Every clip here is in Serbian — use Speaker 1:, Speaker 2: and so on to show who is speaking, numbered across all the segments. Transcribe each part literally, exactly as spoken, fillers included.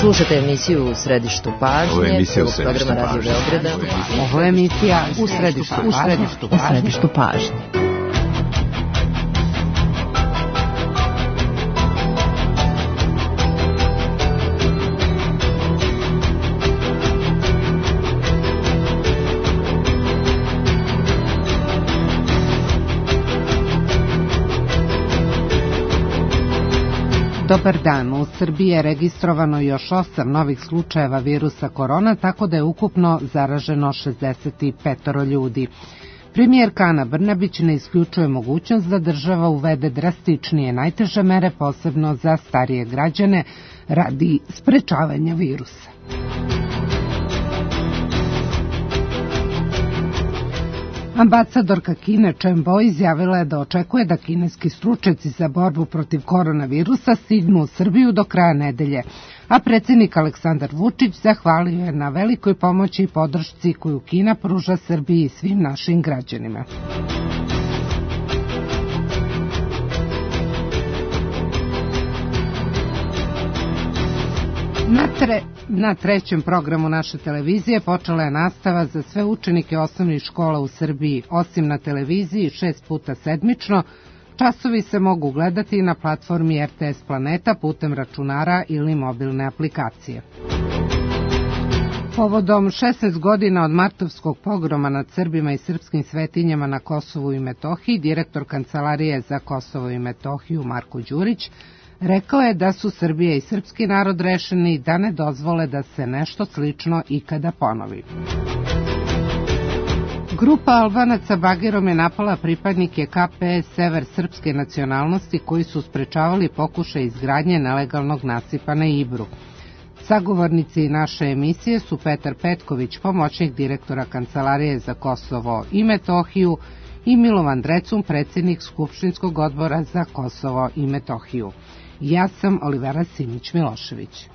Speaker 1: Slušate emisiju U središtu pažnje.
Speaker 2: Ovo je emisija U središtu pažnje.
Speaker 3: Ovo je emisija U središtu pažnje. U središtu pažnje. Dobar dan. U Srbiji je registrovano još osam novih slučajeva virusa korona, tako da je ukupno zaraženo šezdeset pet ljudi. Premijerka Ana Brnabić ne isključuje mogućnost da država uvede drastičnije najteže mere, posebno za starije građane, radi sprečavanja virusa. Ambasadorka Kine Chen Bo izjavila je da očekuje da kineski stručnjaci za borbu protiv koronavirusa stignu u Srbiju do kraja nedelje, a predsjednik Aleksandar Vučić zahvalio je na velikoj pomoći i podršci koju Kina pruža Srbiji i svim našim građanima. Na, tre, na trećem programu naše televizije počela je nastava za sve učenike osnovnih škola u Srbiji. Osim na televiziji šest puta sedmično, časovi se mogu gledati na platformi R T S Planeta putem računara ili mobilne aplikacije. Povodom šesnaest godina od martovskog pogroma nad Srbima i srpskim svetinjama na Kosovu i Metohiji, direktor Kancelarije za Kosovo i Metohiju Marko Đurić rekao je da su Srbija i srpski narod rešeni da ne dozvole da se nešto slično ikada ponovi. Grupa Albanaca bagerom je napala pripadnike K P S Sever srpske nacionalnosti koji su sprečavali pokušaj izgradnje nelegalnog nasipa na Ibru. Sagovornici naše emisije su Petar Petković, pomoćnik direktora Kancelarije za Kosovo i Metohiju, i Milovan Drecun, predsjednik Skupštinskog odbora za Kosovo i Metohiju. Ja sam Olivera Simić-Milošević.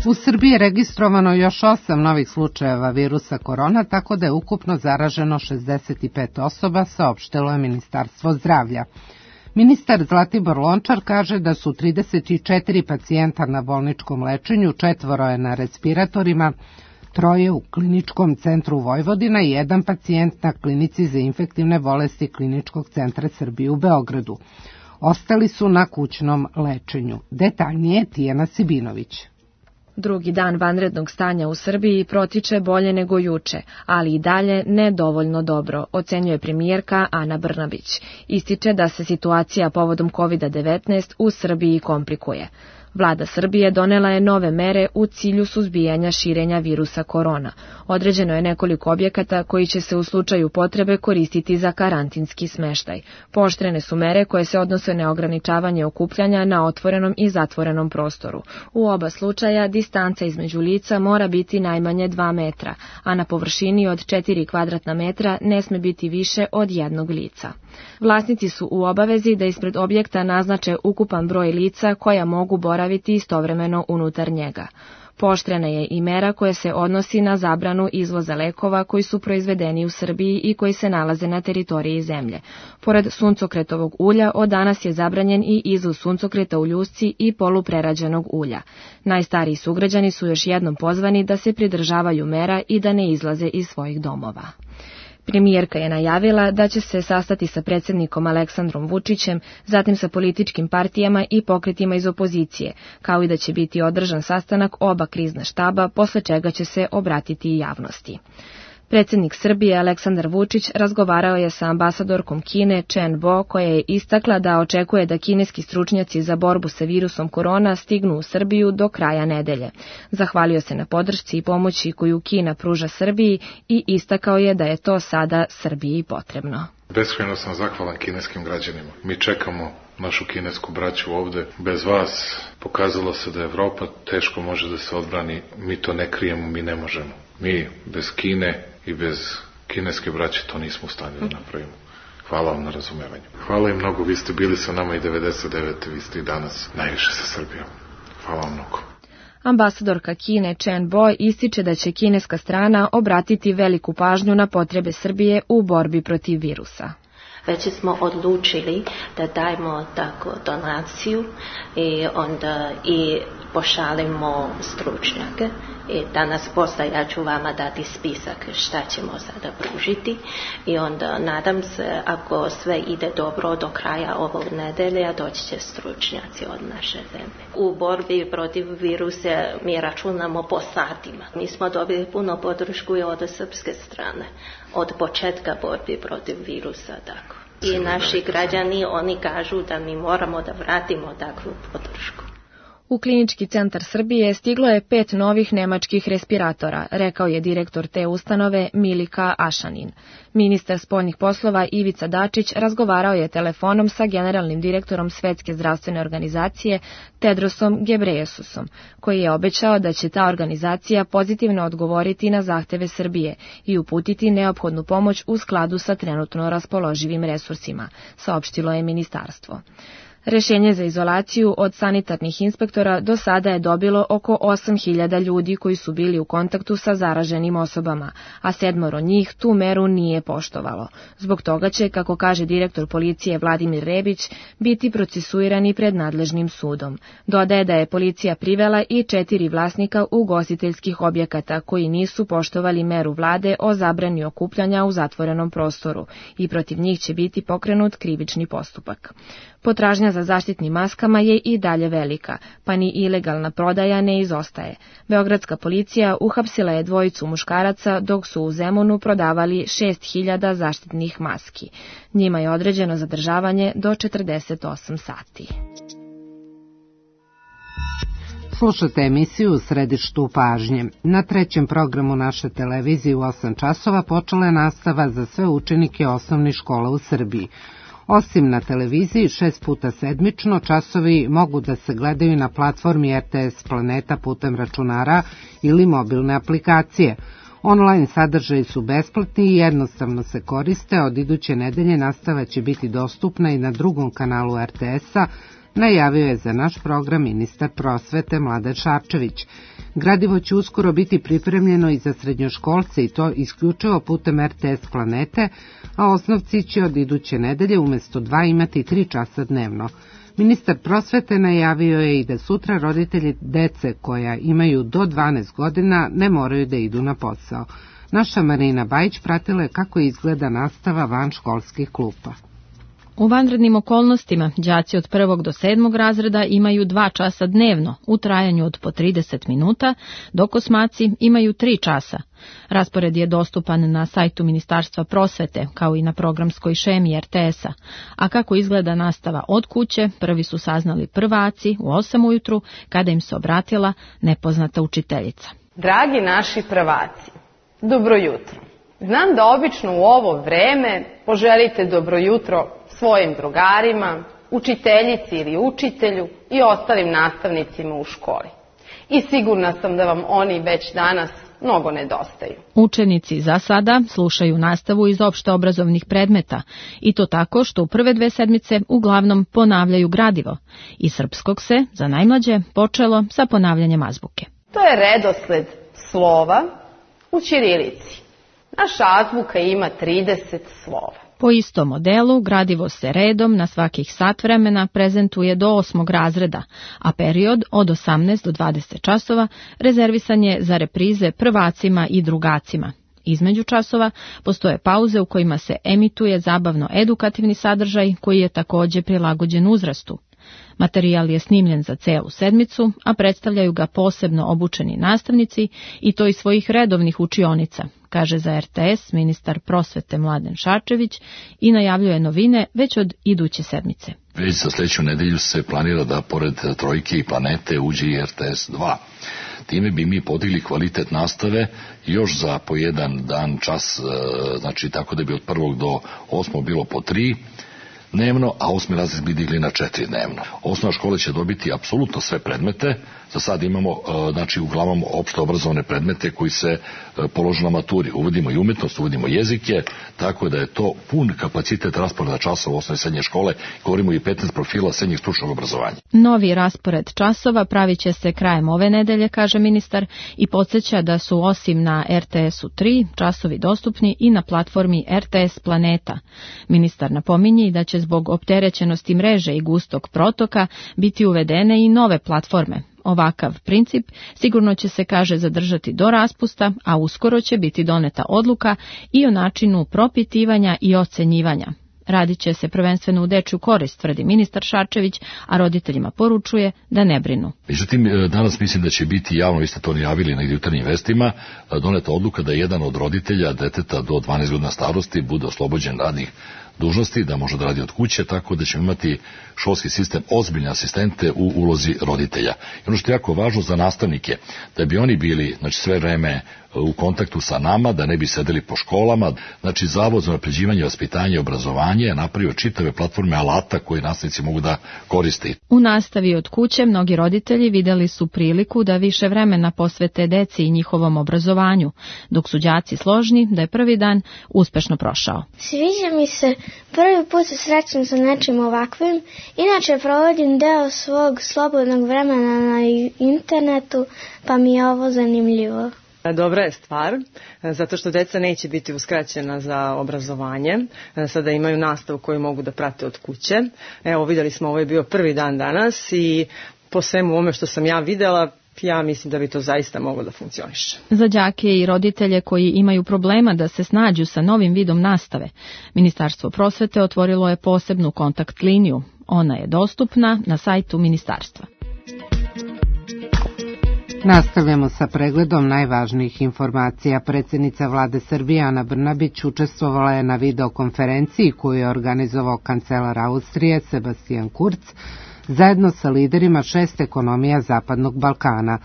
Speaker 3: U Srbiji je registrovano još osam novih slučajeva virusa korona, tako da je ukupno zaraženo šezdeset pet osoba, saopštilo je Ministarstvo zdravlja. Ministar Zlatibor Lončar kaže da su trideset četiri pacijenta na bolničkom lečenju, četvoro je na respiratorima, troje u Kliničkom centru Vojvodina i jedan pacijent na Klinici za infektivne bolesti Kliničkog centra Srbije u Beogradu. Ostali su na kućnom lečenju. Detaljnije Tijana Sibinović.
Speaker 4: Drugi dan vanrednog stanja u Srbiji protiče bolje nego juče, ali i dalje ne dovoljno dobro, ocenjuje premijerka Ana Brnabić. Ističe da se situacija povodom kovid devetnaest u Srbiji komplikuje. Vlada Srbije donela je nove mere u cilju suzbijanja širenja virusa korona. Određeno je nekoliko objekata koji će se u slučaju potrebe koristiti za karantinski smeštaj. Pooštrene su mere koje se odnose na ograničavanje okupljanja na otvorenom i zatvorenom prostoru. U oba slučaja distanca između lica mora biti najmanje dva metra, a na površini od četiri kvadratna metra ne sme biti više od jednog lica. Vlasnici su u obavezi da ispred objekta naznače ukupan broj lica koja mogu boraviti istovremeno unutar njega. Pooštrena je i mera koja se odnosi na zabranu izvoza lekova koji su proizvedeni u Srbiji i koji se nalaze na teritoriji zemlje. Pored suncokretovog ulja, od danas je zabranjen i izvoz suncokreta u ljusci i poluprerađenog ulja. Najstariji sugrađani su još jednom pozvani da se pridržavaju mera i da ne izlaze iz svojih domova. Premijerka je najavila da će se sastati sa predsjednikom Aleksandrom Vučićem, zatim sa političkim partijama i pokretima iz opozicije, kao i da će biti održan sastanak oba krizna štaba, posle čega će se obratiti i javnosti. Predsjednik Srbije Aleksandar Vučić razgovarao je sa ambasadorkom Kine Chen Bo, koja je istakla da očekuje da kineski stručnjaci za borbu sa virusom korona stignu u Srbiju do kraja nedelje. Zahvalio se na podršci i pomoći koju Kina pruža Srbiji i istakao je da je to sada Srbiji potrebno.
Speaker 5: Beskrajno sam zahvalan kineskim građanima. Mi čekamo našu kinesku braću ovde. Bez vas pokazalo se da Evropa teško može da se odbrani. Mi to ne krijemo, mi ne možemo. Mi bez Kine i bez kineske braće to nismo u stanju da napravimo. Hvala vam na razumevanju. Hvala im mnogo, vi ste bili sa nama i devedeset devete. vi ste i danas najviše sa Srbijom. Hvala vam mnogo.
Speaker 4: Ambasadorka Kine Chen Bo ističe da će kineska strana obratiti veliku pažnju na potrebe Srbije u borbi protiv virusa.
Speaker 2: Već smo odlučili da dajemo tako donaciju i onda i pošaljemo stručnjake. I danas posle ja ću vama dati spisak šta ćemo sada pružiti i onda nadam se ako sve ide dobro do kraja ovog nedelja doći će stručnjaci od naše zemlje. U borbi protiv virusa mi računamo po satima. Mi smo dobili puno podršku i od srpske strane od početka borbi protiv virusa. Tako. I naši građani oni kažu da mi moramo da vratimo takvu podršku.
Speaker 4: U Klinički centar Srbije stiglo je pet novih nemačkih respiratora, rekao je direktor te ustanove Milika Ašanin. Ministar spoljnih poslova Ivica Dačić razgovarao je telefonom sa generalnim direktorom Svetske zdravstvene organizacije Tedrosom Gebreyesusom, koji je obećao da će ta organizacija pozitivno odgovoriti na zahteve Srbije i uputiti neophodnu pomoć u skladu sa trenutno raspoloživim resursima, saopštilo je ministarstvo. Rešenje za izolaciju od sanitarnih inspektora do sada je dobilo oko osam hiljada ljudi koji su bili u kontaktu sa zaraženim osobama, a sedmoro njih tu meru nije poštovalo. Zbog toga će, kako kaže direktor policije Vladimir Rebić, biti procesuirani pred nadležnim sudom. Dodaje da je policija privela i četiri vlasnika ugostiteljskih objekata koji nisu poštovali meru vlade o zabrani okupljanja u zatvorenom prostoru i protiv njih će biti pokrenut krivični postupak. Potražnja za zaštitnim maskama je i dalje velika, pa ni ilegalna prodaja ne izostaje. Beogradska policija uhapsila je dvojicu muškaraca dok su u Zemunu prodavali šest hiljada zaštitnih maski. Njima je određeno zadržavanje do četrdeset osam sati.
Speaker 3: Slušate emisiju U središtu pažnje. Na trećem programu naše televizije u osam časova počela je nastava za sve učenike osnovnih škola u Srbiji. Osim na televiziji, šest puta sedmično, časovi mogu da se gledaju na platformi R T S Planeta putem računara ili mobilne aplikacije. Online sadržaji su besplatni i jednostavno se koriste, od iduće nedelje nastava će biti dostupna i na drugom kanalu R T S-a, najavio je za naš program ministar prosvete Mladen Šarčević. Gradivo će uskoro biti pripremljeno i za srednjoškolce i to isključivo putem R T S Planete, a osnovci će od iduće nedelje umjesto dva imati tri časa dnevno. Ministar prosvete najavio je i da sutra roditelji dece koja imaju do dvanaest godina ne moraju da idu na posao. Naša Marina Bajić pratila je kako izgleda nastava van školskih klupa.
Speaker 6: U vanrednim okolnostima đaci od prvog do sedmog razreda imaju dva časa dnevno u trajanju od po trideset minuta, dok osmaci imaju tri časa. Raspored je dostupan na sajtu Ministarstva prosvete, kao i na programskoj šemi R T S-a. A kako izgleda nastava od kuće, prvi su saznali prvaci u osam ujutru, kada im se obratila nepoznata učiteljica.
Speaker 7: Dragi naši prvaci, dobro jutro. Znam da obično u ovo vreme poželite dobro jutro svojim drugarima, učiteljici ili učitelju i ostalim nastavnicima u školi. I sigurna sam da vam oni već danas mnogo nedostaju.
Speaker 6: Učenici za sada slušaju nastavu iz opšte obrazovnih predmeta i to tako što u prve dve sedmice uglavnom ponavljaju gradivo. Iz srpskog se, za najmlađe, počelo sa ponavljanjem azbuke.
Speaker 7: To je redosled slova u ćirilici. Naša azbuka ima trideset slova.
Speaker 6: Po istom modelu, gradivo se redom na svakih sat vremena prezentuje do osmog razreda, a period od osamnaest do dvadeset časova rezervisan je za reprize prvacima i drugacima. Između časova postoje pauze u kojima se emituje zabavno-edukativni sadržaj koji je također prilagođen uzrastu. Materijal je snimljen za celu sedmicu, a predstavljaju ga posebno obučeni nastavnici i to iz svojih redovnih učionica, kaže za R T S ministar prosvete Mladen Šarčević i najavljuje novine već od iduće sedmice.
Speaker 8: Već za sljedeću nedelju se planira da pored Trojke i Planete uđe i R T S dva. Time bi mi podigli kvalitet nastave još za po jedan dan čas, znači tako da bi od prvog do osmog bilo po tri dnevno, a osmi razred bi digli na četiri dnevno. Osnovna škola će dobiti apsolutno sve predmete, Za sad imamo znači uglavnom opšte obrazovne predmete koji se polože na maturi. Uvodimo i umetnost, uvodimo jezike, tako da je to pun kapacitet rasporeda časova osnovne i srednje škole. Govorimo i petnaest profila srednjeg stručnog obrazovanja.
Speaker 6: Novi raspored časova pravit će se krajem ove nedelje, kaže ministar, i podsjeća da su osim na er te esu tri časovi dostupni i na platformi er te es Planeta. Ministar napominje da će zbog opterećenosti mreže i gustog protoka biti uvedene i nove platforme. Ovakav princip sigurno će se, kaže, zadržati do raspusta, a uskoro će biti doneta odluka i o načinu propitivanja i ocenjivanja. Radit će se prvenstveno u dečju korist, tvrdi ministar Šarčević, a roditeljima poručuje da ne brinu.
Speaker 8: Međutim, danas mislim da će biti javno, vi ste to najavili negdje u jutarnjim vestima, doneta odluka da jedan od roditelja deteta do dvanaest godina starosti bude oslobođen radnih dužnosti, da može da radi od kuće, tako da ćemo imati školski sistem ozbiljne asistente u ulozi roditelja. I ono što je jako važno za nastavnike, da bi oni bili, znači, sve vreme u kontaktu sa nama, da ne bi sedeli po školama. Znači, Zavod za unapređivanje vaspitanja i obrazovanje je napravio čitave platforme alata koje nastavnici mogu da koriste.
Speaker 6: U nastavi od kuće mnogi roditelji videli su priliku da više vremena posvete deci i njihovom obrazovanju, dok su đaci složni da je prvi dan uspešno prošao.
Speaker 9: Sviđa mi se, prvi put se srećem sa nečim ovakvim, inače provodim deo svog slobodnog vremena na internetu, pa mi je ovo zanimljivo.
Speaker 10: Dobra je stvar, zato što deca neće biti uskraćena za obrazovanje, sada imaju nastavu koju mogu da prate od kuće. Evo, vidjeli smo, ovo je bio prvi dan danas i po svemu ovome što sam ja videla, ja mislim da bi to zaista moglo da funkcioniše.
Speaker 6: Za đake i roditelje koji imaju problema da se snađu sa novim vidom nastave, Ministarstvo prosvete otvorilo je posebnu kontakt liniju. Ona je dostupna na sajtu ministarstva.
Speaker 3: Nastavljamo sa pregledom najvažnijih informacija. Predsjednica Vlade Srbije Ana Brnabić učestvovala je na videokonferenciji koju je organizovao kancelar Austrije Sebastian Kurz zajedno sa liderima šest ekonomija Zapadnog Balkana.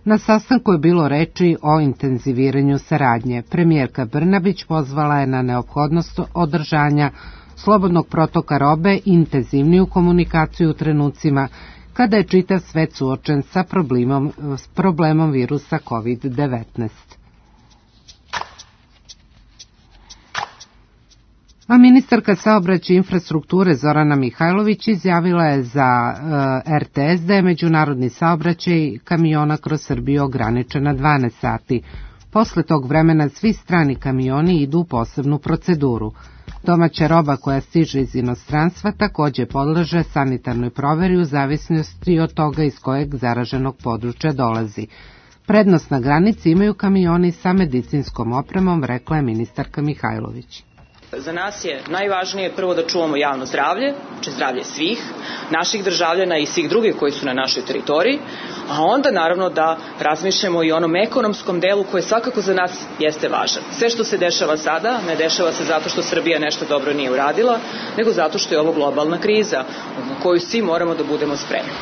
Speaker 3: Na sastanku je bilo reči o intenziviranju saradnje. Premijerka Brnabić pozvala je na neophodnost održanja slobodnog protoka robe i intenzivniju komunikaciju u trenucima kada je čitav svet suočen sa problemom, s problemom virusa kovid devetnaest. A ministarka saobraćaja i infrastrukture Zorana Mihajlović izjavila je za uh, er te es da je međunarodni saobraćaj kamiona kroz Srbiju ograničen na dvanaest sati. Posle tog vremena svi strani kamioni idu u posebnu proceduru. Domaća roba koja stiže iz inostranstva takođe podleže sanitarnoj proveri u zavisnosti od toga iz kojeg zaraženog područja dolazi. Prednost na granici imaju kamioni sa medicinskom opremom, rekla je ministarka Mihajlović.
Speaker 11: Za nas je najvažnije prvo da čuvamo javno zdravlje, znači zdravlje svih, naših državljana i svih drugih koji su na našoj teritoriji, a onda naravno da razmišljamo i o onom ekonomskom delu koji svakako za nas jeste važan. Sve što se dešava sada ne dešava se zato što Srbija nešto dobro nije uradila, nego zato što je ovo globalna kriza na koju svi moramo da budemo spremni.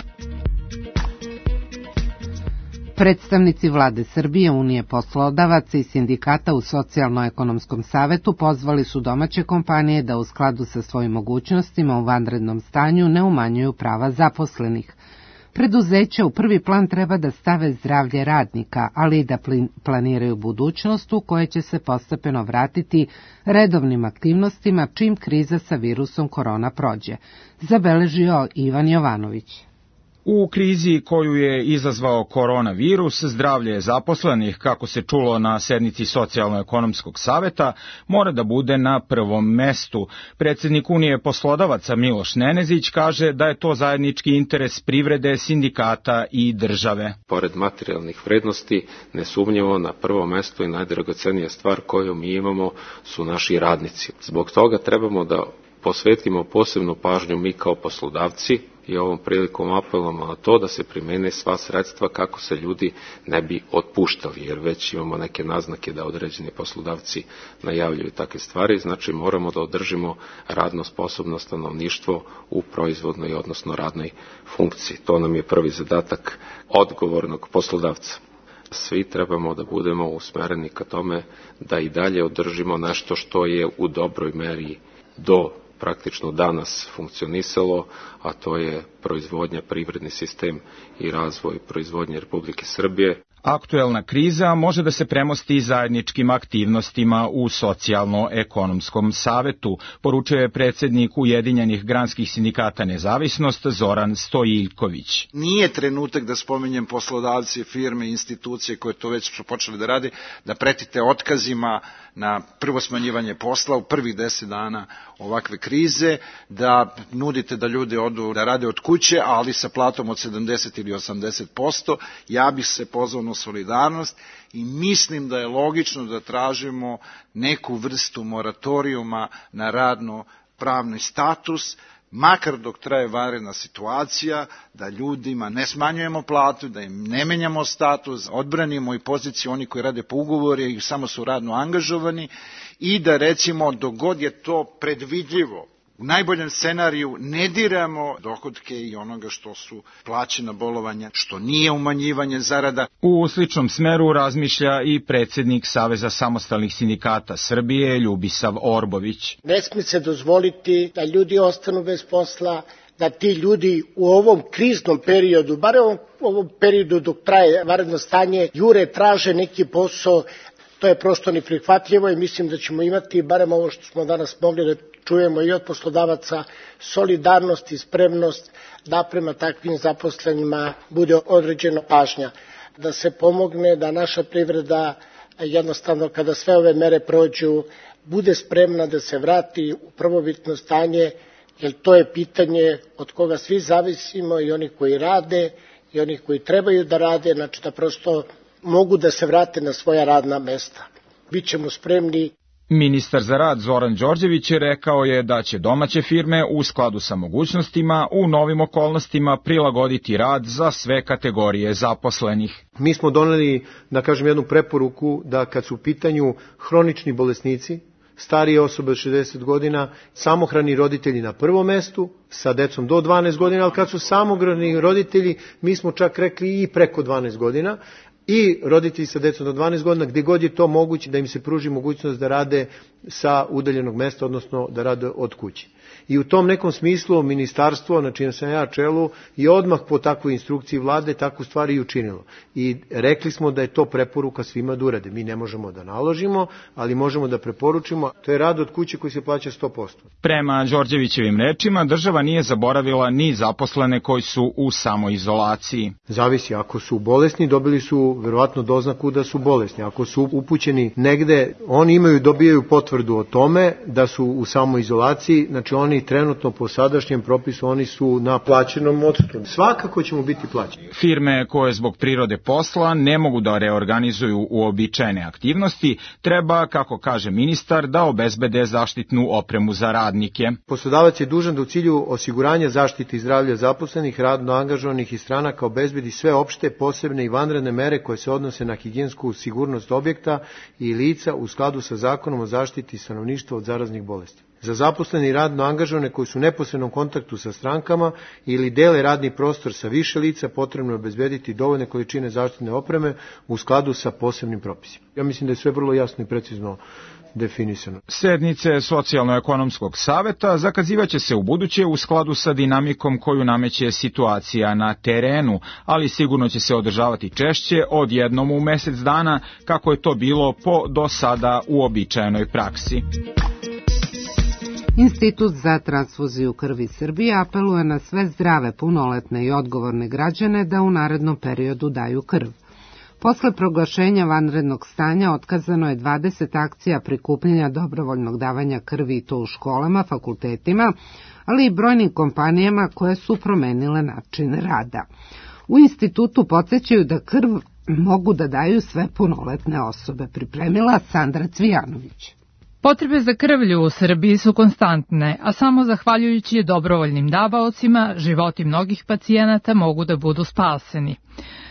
Speaker 3: Predstavnici Vlade Srbije, Unije poslodavaca i sindikata u Socijalno-ekonomskom savetu pozvali su domaće kompanije da u skladu sa svojim mogućnostima u vanrednom stanju ne umanjuju prava zaposlenih. Preduzeća u prvi plan treba da stave zdravlje radnika, ali i da planiraju budućnost u kojoj će se postepeno vratiti redovnim aktivnostima čim kriza sa virusom korona prođe, zabeležio Ivan Jovanović.
Speaker 12: U krizi koju je izazvao koronavirus, zdravlje zaposlenih, kako se čulo na sednici Socijalno-ekonomskog saveta, mora da bude na prvom mestu. Predsjednik Unije poslodavaca Miloš Nenezić kaže da je to zajednički interes privrede, sindikata i države.
Speaker 13: Pored materijalnih vrednosti, nesumnjivo na prvom mestu i najdragocenija stvar koju mi imamo su naši radnici. Zbog toga trebamo da posvetimo posebnu pažnju mi kao poslodavci i ovom prilikom apelujemo na to da se primene sva sredstva kako se ljudi ne bi otpuštali, jer već imamo neke naznake da određeni poslodavci najavljuju takve stvari, znači moramo da održimo radno sposobno stanovništvo u proizvodnoj, odnosno radnoj funkciji. To nam je prvi zadatak odgovornog poslodavca. Svi trebamo da budemo usmereni ka tome da i dalje održimo nešto što je u dobroj meri do praktično danas funkcionisalo, a to je proizvodnja, privredni sistem i razvoj proizvodnje Republike Srbije.
Speaker 12: Aktuelna kriza može da se premosti zajedničkim aktivnostima u Socijalno-ekonomskom savetu, poručuje predsjednik Ujedinjenih granskih sindikata Nezavisnost Zoran Stojiljković.
Speaker 14: Nije trenutak da spominjem poslodavce, firme, institucije koje to već su počeli da rade, da pretite otkazima na prvo smanjivanje posla u prvih deset dana ovakve krize, da nudite da ljudi odu da rade od kuće, ali sa platom od sedamdeset ili osamdeset posto. Ja bih se pozvao na solidarnost i mislim da je logično da tražimo neku vrstu moratorijuma na radno-pravni status, makar dok traje vanredna situacija, da ljudima ne smanjujemo platu, da im ne menjamo status, odbranimo i poziciju oni koji rade po ugovoru i samo su radno angažovani i da recimo dok god je to predvidljivo, u najboljem scenariju ne diramo dohodke i onoga što su plaćena bolovanja, što nije umanjivanje zarada.
Speaker 12: U sličnom smeru razmišlja i predsjednik Saveza samostalnih sindikata Srbije Ljubisav Orbović.
Speaker 15: Ne smije se dozvoliti da ljudi ostanu bez posla, da ti ljudi u ovom kriznom periodu, bar u ovom periodu dok traje vanredno stanje, jure, traže neki posao. To je prosto neprihvatljivo i mislim da ćemo imati, barem ovo što smo danas mogli da čujemo i od poslodavaca, solidarnost i spremnost da prema takvim zaposlenima bude određena pažnja. Da se pomogne da naša privreda jednostavno kada sve ove mere prođu bude spremna da se vrati u prvobitno stanje, jer to je pitanje od koga svi zavisimo, i oni koji rade i oni koji trebaju da rade, znači da prosto mogu da se vrate na svoja radna mesta. Bićemo spremni.
Speaker 12: Ministar za rad Zoran Đorđević rekao je da će domaće firme u skladu sa mogućnostima u novim okolnostima prilagoditi rad za sve kategorije zaposlenih.
Speaker 16: Mi smo doneli, da kažem, jednu preporuku da kad su u pitanju hronični bolesnici, starije osobe od šezdeset godina, samohrani roditelji na prvom mestu, sa decom do dvanaest godina, ali kad su samohrani roditelji, mi smo čak rekli i preko dvanaest godina, i roditelji sa decom do dvanaest godina, gdje god je to moguće da im se pruži mogućnost da rade sa udaljenog mesta, odnosno da rade od kuće. I u tom nekom smislu ministarstvo, na čijem sam ja čelu, je odmah po takvoj instrukciji vlade takvu stvari i učinilo. I rekli smo da je to preporuka svima da urade. Mi ne možemo da naložimo, ali možemo da preporučimo. To je rad od kuće koji se plaća sto posto.
Speaker 12: Prema Đorđevićevim rečima, država nije zaboravila ni zaposlene koji su u samoizolaciji.
Speaker 16: Zavisi, ako su bolesni, dobili su verovatno doznaku da su bolesni. Ako su upućeni negde, oni imaju, dobijaju potvrdu o tome da su u samoizolaciji, znači oni trenutno po sadašnjem propisu, oni su na plaćenom odsutu. Svakako ćemo biti plaćeni.
Speaker 12: Firme koje zbog prirode posla ne mogu da reorganizuju uobičajene aktivnosti, treba, kako kaže ministar, da obezbede zaštitnu opremu za radnike.
Speaker 16: Poslodavac je dužan da u cilju osiguranja zaštite i zdravlja zaposlenih, radno angažovanih i stranaka obezbedi sve opšte, posebne i vanredne mere koje se odnose na higijensku sigurnost objekta i lica u skladu sa Zakonom o zaštiti stanovništva od zaraznih bolesti. Za zaposlene i radno angažovane koji su u neposrednom kontaktu sa strankama ili dele radni prostor sa više lica, potrebno je obezbediti dovoljne količine zaštitne opreme u skladu sa posebnim propisima. Ja mislim da je sve vrlo jasno i precizno definisano.
Speaker 12: Sednice Socijalno-ekonomskog saveta zakazivaće se u buduće u skladu sa dinamikom koju nameće situacija na terenu, ali sigurno će se održavati češće od jednom u mesec dana, kako je to bilo po do sada uobičajenoj praksi.
Speaker 3: Institut za transfuziju krvi Srbije apeluje na sve zdrave, punoletne i odgovorne građane da u narednom periodu daju krv. Posle proglašenja vanrednog stanja otkazano je dvadeset akcija prikupljanja dobrovoljnog davanja krvi i to u školama, fakultetima, ali i brojnim kompanijama koje su promenile način rada. U institutu podsjećaju da krv mogu da daju sve punoletne osobe, pripremila Sandra Cvijanović.
Speaker 17: Potrebe za krvlju u Srbiji su konstantne, a samo zahvaljujući dobrovoljnim davaocima životi mnogih pacijenata mogu da budu spaseni.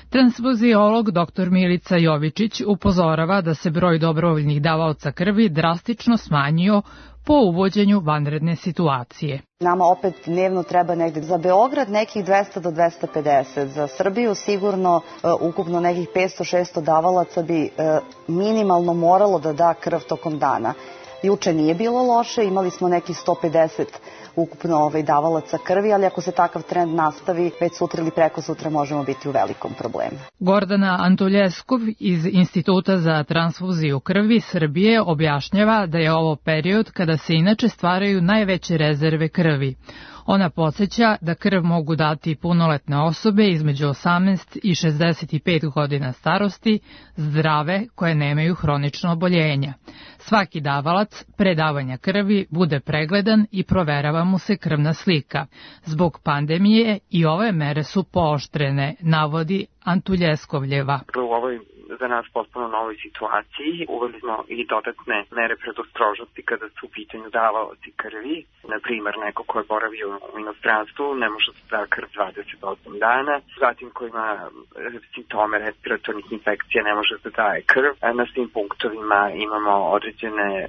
Speaker 17: Transfuziolog doktor Milica Jovičić upozorava da se broj dobrovoljnih davaoca krvi drastično smanjio po uvođenju vanredne situacije.
Speaker 18: Nama opet dnevno treba negde za Beograd nekih dvesta do dvesta pedeset, za Srbiju sigurno uh, ukupno nekih petsto šesto davalaca bi uh, minimalno moralo da da krv tokom dana. Juče nije bilo loše, imali smo nekih sto pedeset ukupno ovaj, davalaca krvi, ali ako se takav trend nastavi, već sutra ili preko sutra možemo biti u velikom problemu.
Speaker 17: Gordana Antuljeskov iz Instituta za transfuziju krvi Srbije objašnjava da je ovo period kada se inače stvaraju najveće rezerve krvi. Ona podsjeća da krv mogu dati punoletne osobe između osamnaest i šezdeset pet godina starosti, zdrave koje nemaju hronično oboljenja. Svaki davalac pre davanja krvi bude pregledan i proverava mu se krvna slika. Zbog pandemije i ove mere su pooštrene, navodi Antuljeskovljeva.
Speaker 19: U ovoj za nas potpuno novoj situaciji uveli smo i dodatne mere predostrožnosti kada su u pitanju davaoci krvi. Na primer, neko ko je boravio u inostranstvu ne može da da krv dvadeset osam dana, zatim ko ima simptome respiratornih infekcija ne može da daje krv. Na svim punktovima imamo određene e,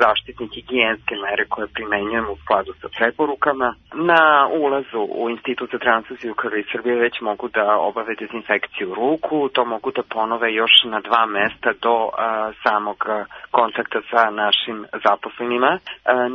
Speaker 19: zaštitne higijenske mere koje primenjujemo u skladu sa preporukama. Na ulazu u Institut za transfuziju krvi Srbije već mogu da obave dezinfekciju ruku, to mogu da ponove još na dva mesta do a, samog kontakta sa našim zaposlenima. A,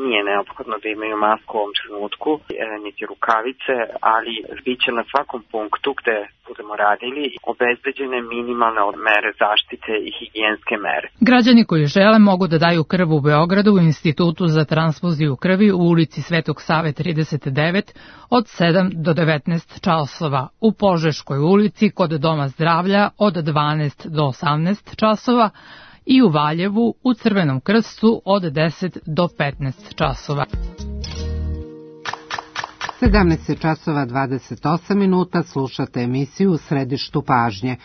Speaker 19: nije neophodno da imaju masku u ovom trenutku, e, niti rukavice, ali biće na svakom punktu gde budemo radili obezbeđene minimalne mere zaštite i higijenske mere.
Speaker 17: Građani koji žele mogu da daju krv u Beogradu u Institutu za transfuziju krvi u ulici Svetog Save trideset devet od sedam do devetnaest časova, u Požeškoj ulici kod Doma zdravlja od dvanaest do osamnaest časova i u Valjevu u Crvenom krstu od deset do petnaest časova.
Speaker 3: sedamnaest časova dvadeset osam minuta, slušate emisiju U središtu pažnje.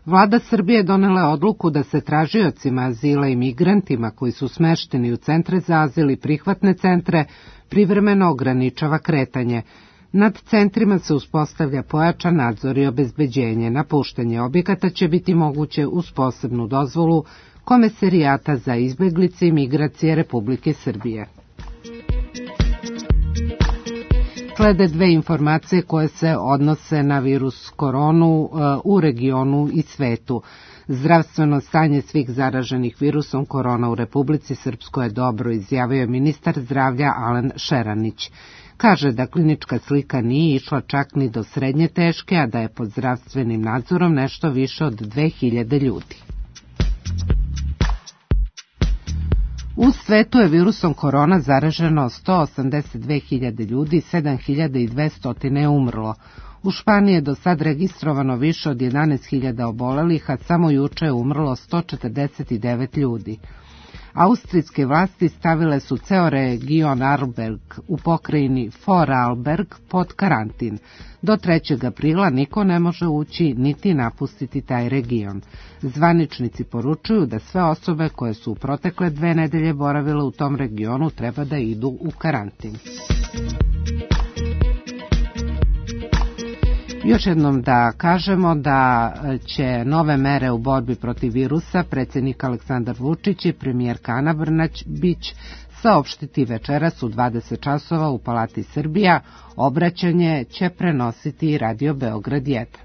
Speaker 3: Vlada Srbije donela je odluku da se tražiocima azila i migrantima koji su smešteni u centre za azil i prihvatne centre privremeno ograničava kretanje. Nad centrima se uspostavlja pojačan nadzor i obezbeđenje. Napuštanje objekata će biti moguće uz posebnu dozvolu Komesarijata za izbeglice i migracije Republike Srbije. Slede dve informacije koje se odnose na virus koronu u regionu i svetu. Zdravstveno stanje svih zaraženih virusom korona u Republici Srpskoj je dobro, izjavio je ministar zdravlja Alen Šeranić. Kaže da klinička slika nije išla čak ni do srednje teške, a da je pod zdravstvenim nadzorom nešto više od dve hiljade ljudi. U svetu je virusom korona zaraženo sto osamdeset dve hiljade ljudi, sedam hiljada dvesta je umrlo. U Španiji je do sad registrovano više od jedanaest hiljada obolelih, a samo juče je umrlo sto četrdeset devet ljudi. Austrijske vlasti stavile su ceo region Arlberg u pokrajini Vorarlberg pod karantin. Do trećeg aprila niko ne može ući niti napustiti taj region. Zvaničnici poručuju da sve osobe koje su u protekle dve nedelje boravile u tom regionu treba da idu u karantin. Još jednom da kažemo da će nove mere u borbi protiv virusa predsjednik Aleksandar Vučić i premijerka Ana Brnabić saopštiti večeras u dvadeset časova u Palati Srbija. Obraćanje će prenositi Radio Beograd jedan.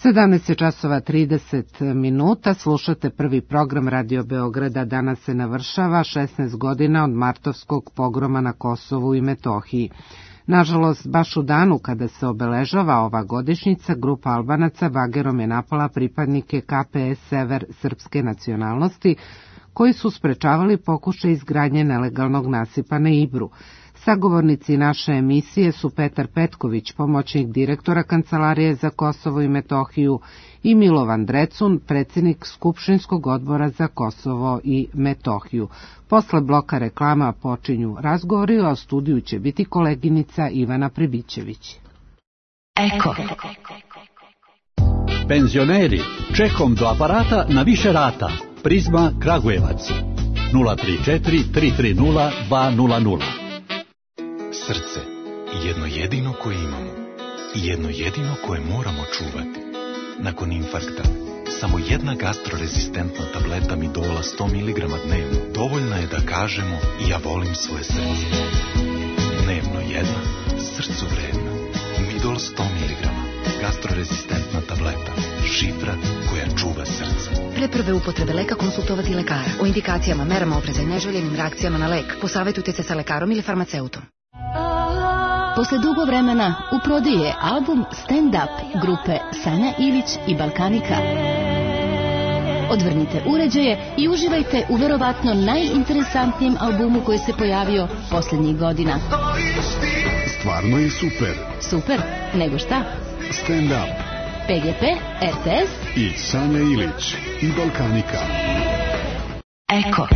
Speaker 3: sedamnaest časova trideset minuta, slušate prvi program Radio Beograda. Danas se navršava šesnaest godina od martovskog pogroma na Kosovu i Metohiji. Nažalost, baš u danu kada se obeležava ova godišnjica, grupa Albanaca bagerom je napala pripadnike K P S Sever srpske nacionalnosti, koji su sprečavali pokušaj izgradnje nelegalnog nasipa na Ibru. Sagovornici naše emisije su Petar Petković, pomoćnik direktora Kancelarije za Kosovo i Metohiju, i Milovan Drecun, predsjednik Skupštinskog odbora za Kosovo i Metohiju. Posle bloka reklama počinju razgovori, a u studiju će biti koleginica Ivana Pribićević.
Speaker 20: Eko. Penzioneri, čekom do aparata na više rata. Prizma Kragujevac. nula tri četiri tri tri nula dva nula nula.
Speaker 21: Srce, jedno jedino koje imamo i jedno jedino koje moramo čuvati. Nakon infarkta, samo jedna gastrorezistentna tableta Midola sto miligrama dnevno dovoljna je da kažemo ja volim svoje srce. Dnevno jedna, srcu vredna. Midol sto miligrama, gastrorezistentna tableta, šifra koja koja čuva srce.
Speaker 1: Pre prve upotrebe leka konsultovati lekara. O indikacijama, merama opreza i neželjenim reakcijama na lek posavajtujte se sa lekarom ili farmaceutom.
Speaker 22: Posle dugo vremena u prodaju je album Stand Up grupe Sanja Ilić i Balkanika. Odvrnite uređaje i uživajte u verovatno najinteresantnijem albumu koji se pojavio poslednjih godina.
Speaker 23: Stvarno je super.
Speaker 22: Super? Nego šta?
Speaker 23: Stand Up.
Speaker 22: P G P, R T S
Speaker 23: i Sanja Ilić i Balkanika.
Speaker 22: Eko.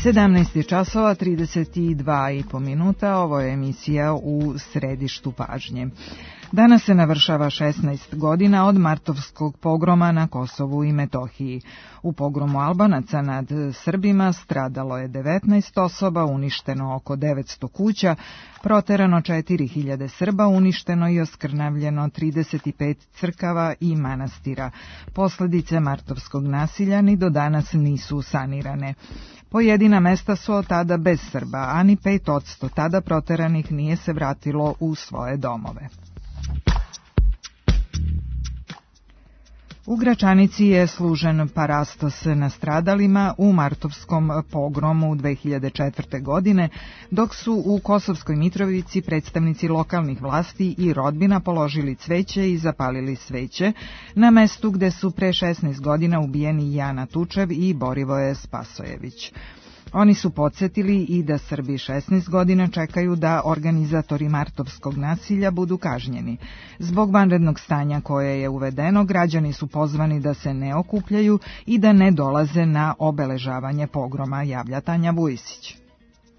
Speaker 24: sedamnaest časova trideset dva i po minuta, ovo je emisija U središtu pažnje. Danas se navršava šesnaest godina od martovskog pogroma na Kosovu i Metohiji. U pogromu Albanaca nad Srbima stradalo je devetnaest osoba, uništeno oko devetsto kuća, proterano četiri hiljade Srba, uništeno i oskrnavljeno trideset pet crkava i manastira. Posledice martovskog nasilja ni do danas nisu sanirane. Pojedina mesta su od tada bez Srba, a ni pet odsto tada proteranih nije se vratilo u svoje domove. U Gračanici je služen parastos nastradalima u martovskom pogromu dve hiljade četvrte. godine, dok su u Kosovskoj Mitrovici predstavnici lokalnih vlasti i rodbina položili cveće i zapalili sveće na mestu gde su pre šesnaest godina ubijeni Jana Tučev i Borivoje Spasojević. Oni su podsjetili i da Srbi šesnaest godina čekaju da organizatori martovskog nasilja budu kažnjeni. Zbog vanrednog stanja koje je uvedeno, građani su pozvani da se ne okupljaju i da ne dolaze na obeležavanje pogroma, javlja Tanja Vujisić.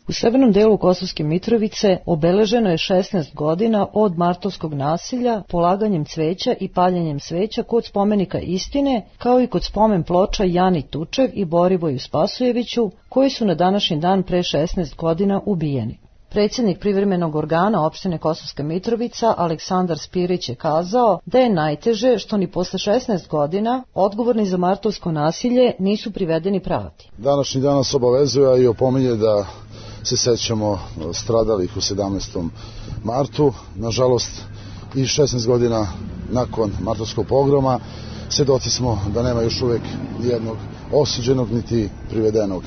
Speaker 25: U severnom delu Kosovske Mitrovice obeleženo je šesnaest godina od martovskog nasilja polaganjem cveća i paljenjem sveća kod spomenika istine, kao i kod spomen ploča Jani Tučev i Borivoju Spasojeviću, koji su na današnji dan pre šesnaest godina ubijeni. Predsjednik privremenog organa opštine Kosovska Mitrovica Aleksandar Spirić je kazao da je najteže što ni posle šesnaest godina odgovorni za martovsko nasilje nisu privedeni pravdi.
Speaker 26: Današnji dan nas obavezuje i opominje da se sećamo stradalih u sedamnaestom martu. Nažalost, i šesnaest godina nakon martovskog pogroma svedoci smo da nema još uvek jednog osuđenog niti privedenog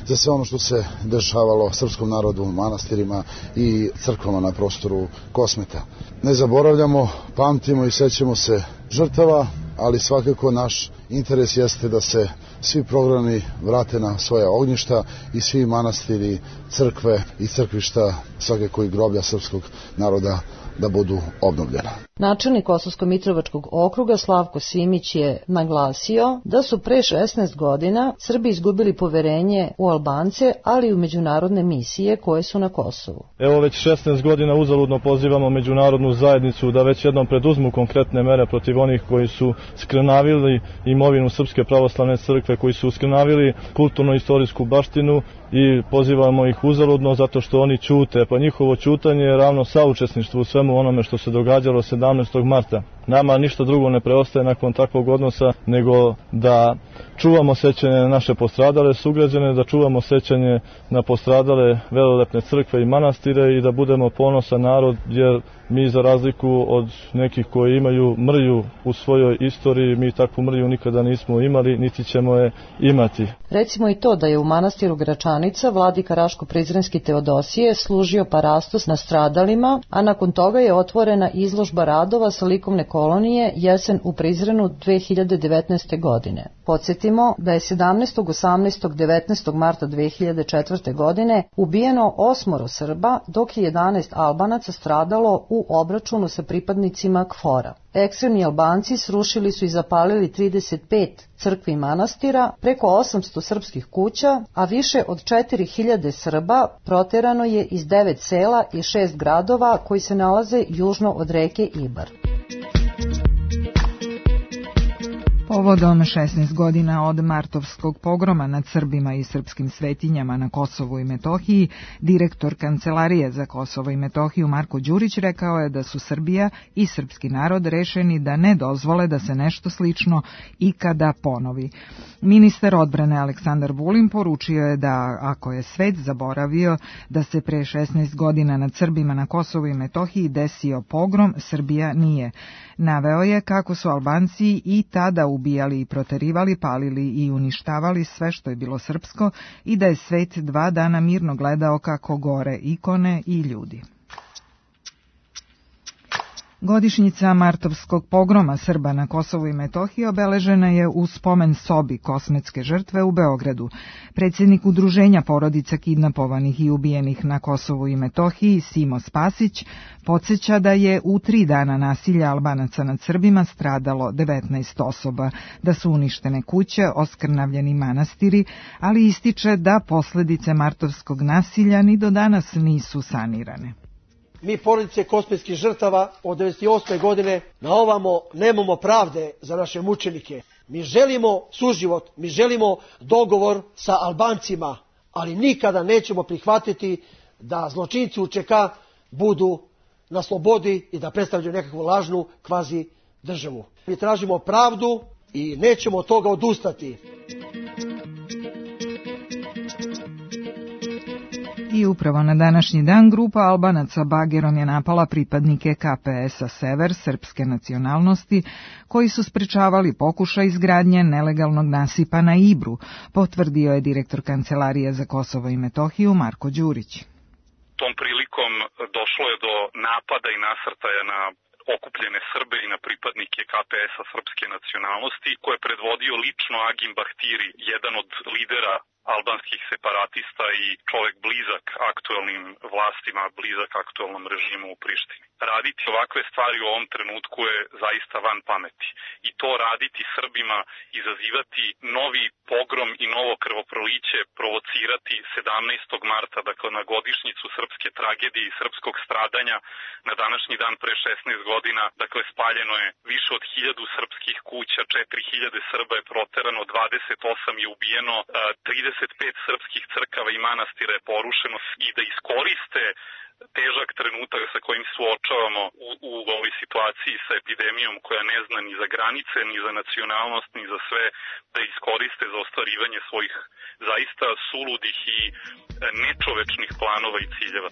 Speaker 26: za sve ono što se dešavalo srpskom narodu, manastirima i crkvama na prostoru Kosmeta. Ne zaboravljamo, pamtimo i sećamo se žrtava, ali svakako naš interes jeste da se svi programi vrate na svoja ognjišta i svi manastiri, crkve i crkvišta, svakako i groblja srpskog naroda da budu obnovljena.
Speaker 25: Načelnik Kosovsko-Mitrovačkog okruga Slavko Simić je naglasio da su pre šesnaest godina Srbi izgubili poverenje u Albance, ali i u međunarodne misije koje su na Kosovu.
Speaker 27: Evo već šesnaest godina uzaludno pozivamo međunarodnu zajednicu da već jednom preduzmu konkretne mere protiv onih koji su skrnavili imovinu Srpske pravoslavne crkve, koji su skrnavili kulturno-istorijsku baštinu i pozivamo ih uzaludno zato što oni ćute, pa njihovo ćutanje je ravno saučesništvo u svemu onome što se događalo sedamnaestog marta. Nama ništa drugo ne preostaje nakon takvog odnosa nego da čuvamo sećanje na naše postradale sugrađane, da čuvamo sećanje na postradale velelepne crkve i manastire i da budemo ponosan narod, jer mi za razliku od nekih koji imaju mrlju u svojoj istoriji, mi takvu mrlju nikada nismo imali, niti ćemo je imati.
Speaker 25: Recimo i to da je u manastiru Gračanica vladika Raško-Prizrenski Teodosije služio parastos nastradalima, a nakon toga je otvorena izložba radova sa likovne kolonije Jesen u Prizrenu dve hiljade devetnaeste. godine. Podsjetimo da je sedamnaestog, osamnaestog, devetnaestog marta dve hiljade četvrte. godine ubijeno osmoro Srba, dok je jedanaest Albanaca stradalo u obračunu sa pripadnicima KFOR-a. Ekstremni Albanci srušili su i zapalili trideset pet crkvi i manastira, preko osamsto srpskih kuća, a više od četiri hiljade Srba proterano je iz devet sela i šest gradova koji se nalaze južno od reke Ibar.
Speaker 24: Povodom šesnaest godina od martovskog pogroma nad Srbima i srpskim svetinjama na Kosovu i Metohiji, direktor Kancelarije za Kosovo i Metohiju Marko Đurić rekao je da su Srbija i srpski narod rešeni da ne dozvole da se nešto slično ikada ponovi. Ministar odbrane Aleksandar Vulin poručio je da ako je svet zaboravio da se pre šesnaest godina nad Srbima na Kosovu i Metohiji desio pogrom, Srbija nije. Naveo je kako su Albanci i tada ubijali i proterivali, palili i uništavali sve što je bilo srpsko i da je svet dva dana mirno gledao kako gore ikone i ljudi. Godišnjica martovskog pogroma Srba na Kosovu i Metohiji obeležena je u spomen sobi kosmetske žrtve u Beogradu. Predsjednik Udruženja porodica kidnapovanih i ubijenih na Kosovu i Metohiji, Simo Spasić, podsjeća da je u tri dana nasilja Albanaca nad Srbima stradalo devetnaest osoba, da su uništene kuće, oskrnavljeni manastiri, ali ističe da posljedice martovskog nasilja ni do danas nisu sanirane.
Speaker 2: Mi porodice kosmetskih žrtava od devedeset osme. godine na ovamo nemamo pravde za naše mučenike. Mi želimo suživot, mi želimo dogovor sa Albancima, ali nikada nećemo prihvatiti da zločinci U Č K budu na slobodi i da predstavljaju nekakvu lažnu kvazi državu. Mi tražimo pravdu i nećemo od toga odustati.
Speaker 24: I upravo na današnji dan grupa Albanaca bagerom je napala pripadnike K P S-a Sever srpske nacionalnosti koji su sprečavali pokušaj izgradnje nelegalnog nasipa na Ibru, potvrdio je direktor Kancelarije za Kosovo i Metohiju Marko Đurić.
Speaker 4: Tom prilikom došlo je do napada i nasrtaja na okupljene Srbe i na pripadnike K P S-a srpske nacionalnosti, koje je predvodio lično Agim Bahtiri, jedan od lidera albanskih separatista i čovjek blizak aktuelnim vlastima, blizak aktuelnom režimu u Prištini. Raditi ovakve stvari u ovom trenutku je zaista van pameti. I to raditi Srbima, izazivati novi pogrom i novo krvoproliće, provocirati sedamnaestog marta, dakle na godišnjicu srpske tragedije i srpskog stradanja, na današnji dan pre šesnaest godina, dakle spaljeno je više od hiljadu srpskih kuća, četiri hiljade Srba je proterano, dvadeset osam je ubijeno, trideset pet srpskih crkava i manastira je porušeno i da iskoriste težak trenutak sa kojim suočavamo u, u ovoj situaciji sa epidemijom koja ne zna ni za granice, ni za nacionalnost, ni za sve, da iskoriste za ostvarivanje svojih zaista suludih i nečovečnih planova i ciljeva.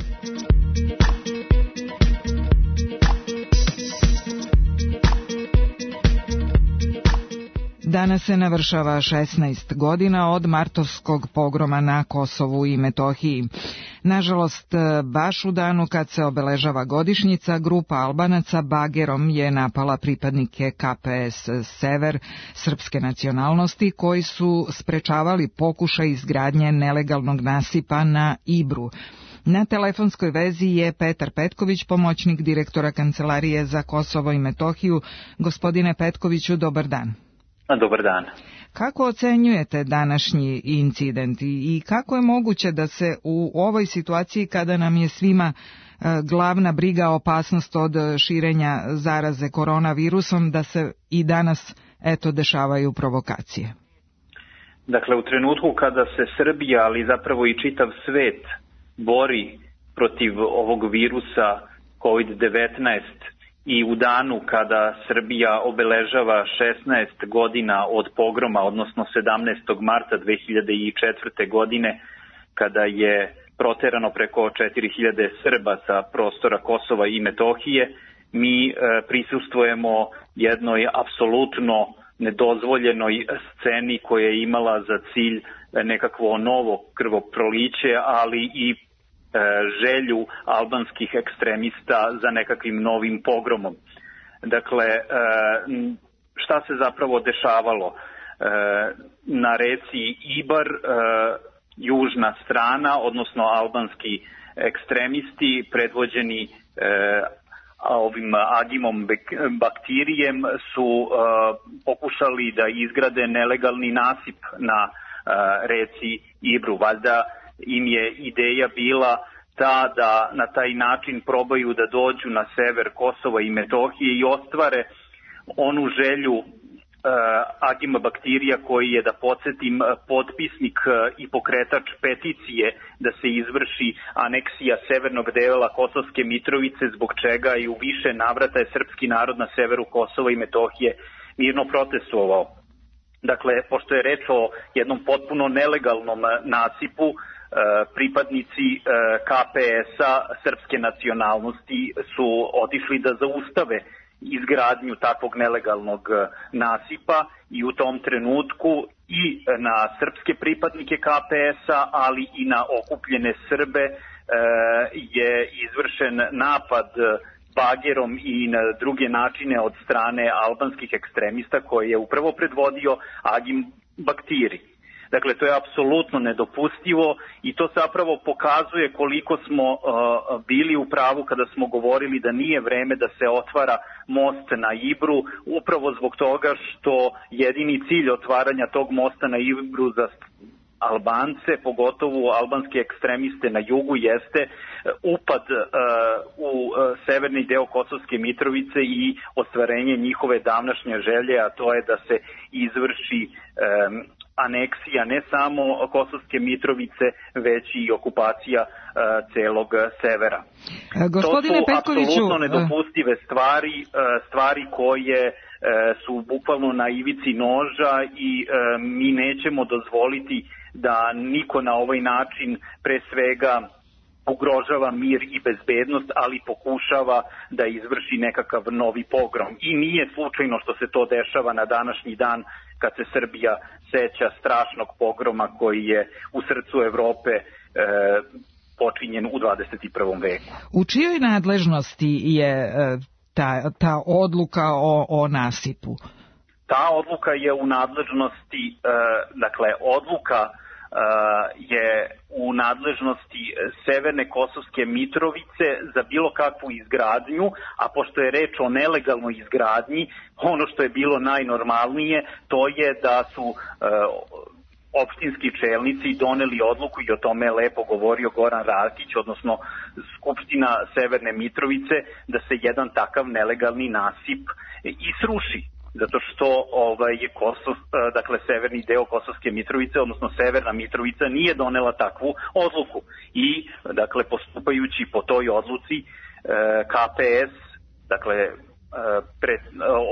Speaker 24: Danas se navršava šesnaest godina od martovskog pogroma na Kosovu i Metohiji. Nažalost, baš u danu kad se obeležava godišnjica, grupa Albanaca bagerom je napala pripadnike K P S Sever srpske nacionalnosti koji su sprečavali pokušaj izgradnje nelegalnog nasipa na Ibru. Na telefonskoj vezi je Petar Petković, pomoćnik direktora Kancelarije za Kosovo i Metohiju. Gospodine Petkoviću, dobar dan.
Speaker 5: Dobar dan.
Speaker 24: Kako ocenjujete današnji incident i kako je moguće da se u ovoj situaciji kada nam je svima glavna briga opasnost od širenja zaraze koronavirusom, da se i danas eto dešavaju provokacije?
Speaker 5: Dakle, u trenutku kada se Srbija, ali zapravo i čitav svet bori protiv ovog virusa kovid devetnaest, i u danu kada Srbija obeležava šesnaest godina od pogroma, odnosno sedamnaestog marta dve hiljade četvrte. godine, kada je proterano preko četiri hiljade Srba sa prostora Kosova i Metohije, mi e, prisustvujemo jednoj apsolutno nedozvoljenoj sceni koja je imala za cilj nekakvo novo krvoproliće, ali i želju albanskih ekstremista za nekakvim novim pogromom. Dakle, šta se zapravo dešavalo? Na reci Ibar, južna strana, odnosno albanski ekstremisti predvođeni ovim Agimom Baktirijem su pokušali da izgrade nelegalni nasip na reci Ibru. Valjda im je ideja bila ta da na taj način probaju da dođu na sever Kosova i Metohije i ostvare onu želju uh, Agima Baktirija, koji je, da podsjetim, potpisnik i pokretač peticije da se izvrši aneksija severnog dela Kosovske Mitrovice, zbog čega i u više navrata je srpski narod na severu Kosova i Metohije mirno protestovao. Dakle, pošto je reč o jednom potpuno nelegalnom nasipu, pripadnici K P S-a srpske nacionalnosti su otišli da zaustave izgradnju takvog nelegalnog nasipa i u tom trenutku i na srpske pripadnike K P S-a, ali i na okupljene Srbe je izvršen napad bagerom i na druge načine od strane albanskih ekstremista koje je upravo predvodio Agim Baktiri. Dakle, to je apsolutno nedopustivo i to zapravo pokazuje koliko smo uh, bili u pravu kada smo govorili da nije vreme da se otvara most na Ibru, upravo zbog toga što jedini cilj otvaranja tog mosta na Ibru za Albance, pogotovo albanske ekstremiste na jugu, jeste upad uh, u uh, severni deo Kosovske Mitrovice i ostvarenje njihove davnašnje želje, a to je da se izvrši um, aneksija ne samo Kosovske Mitrovice, već i okupacija uh, celog severa.
Speaker 24: E, gospodine
Speaker 5: to su
Speaker 24: Petkoviću,
Speaker 5: apsolutno nedopustive stvari, uh, stvari koje uh, su bukvalno na ivici noža i uh, mi nećemo dozvoliti da niko na ovaj način pre svega ugrožava mir i bezbednost, ali pokušava da izvrši nekakav novi pogrom. I nije slučajno što se to dešava na današnji dan, kad se Srbija seća strašnog pogroma koji je u srcu Evrope e, počinjen u dvadeset prvom veku.
Speaker 24: U čijoj nadležnosti je e, ta, ta odluka o, o nasipu?
Speaker 5: Ta odluka je u nadležnosti, e, dakle, odluka Uh, je u nadležnosti Severne Kosovske Mitrovice za bilo kakvu izgradnju, a pošto je reč o nelegalnoj izgradnji, ono što je bilo najnormalnije, to je da su uh, opštinski čelnici doneli odluku, i o tome je lepo govorio Goran Rakić, odnosno Skupština Severne Mitrovice, da se jedan takav nelegalni nasip i sruši. Zato što ovaj Kosov, dakle severni deo Kosovske Mitrovice, odnosno Severna Mitrovica, nije donela takvu odluku. I dakle postupajući po toj odluci K P S, dakle pred,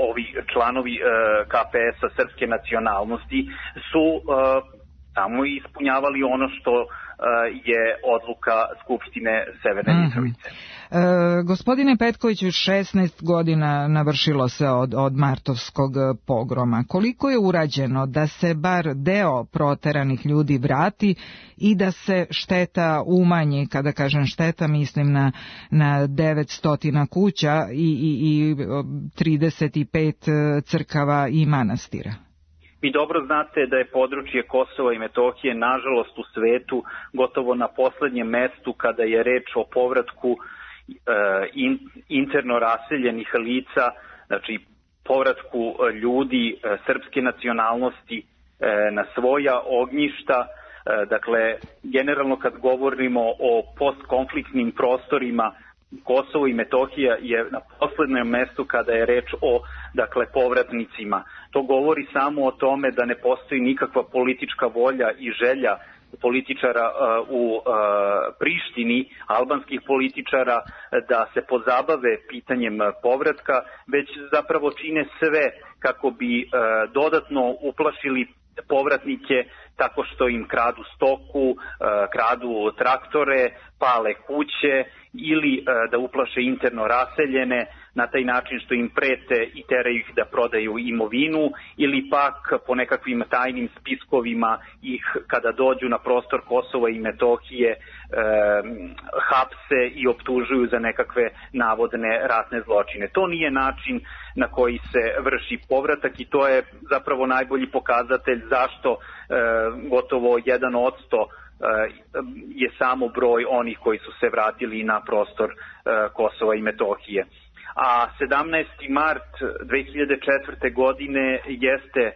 Speaker 5: ovi članovi K P S-a srpske nacionalnosti su tamo ispunjavali ono što je odluka Skupštine Severne mm-hmm. Mitrovice.
Speaker 24: E, gospodine Petkoviću, šesnaest godina navršilo se od, od martovskog pogroma. Koliko je urađeno da se bar deo proteranih ljudi vrati i da se šteta umanji? Kada kažem šteta, mislim na, na devetsto kuća i, i, i trideset pet crkava i manastira.
Speaker 5: Vi dobro znate da je područje Kosova i Metohije, nažalost, u svetu gotovo na poslednjem mestu kada je reč o povratku In, interno raseljenih lica, znači povratku ljudi srpske nacionalnosti na svoja ognjišta. Dakle, generalno kad govorimo o postkonfliktnim prostorima, Kosovo i Metohija je na poslednjem mestu kada je reč o, dakle, povratnicima. To govori samo o tome da ne postoji nikakva politička volja i želja političara uh, u uh, Prištini, albanskih političara, da se pozabave pitanjem povratka, već zapravo čine sve kako bi uh, dodatno uplašili povratnike tako što im kradu stoku, kradu traktore, pale kuće ili da uplaše interno raseljene na taj način što im prete i teraju ih da prodaju imovinu ili pak po nekakvim tajnim spiskovima ih kada dođu na prostor Kosova i Metohije e, hapse i optužuju za nekakve navodne ratne zločine. To nije način na koji se vrši povratak i to je zapravo najbolji pokazatelj zašto e, gotovo jedan odsto je samo broj onih koji su se vratili na prostor Kosova i Metohije. A sedamnaesti mart dve hiljade četvrte. godine jeste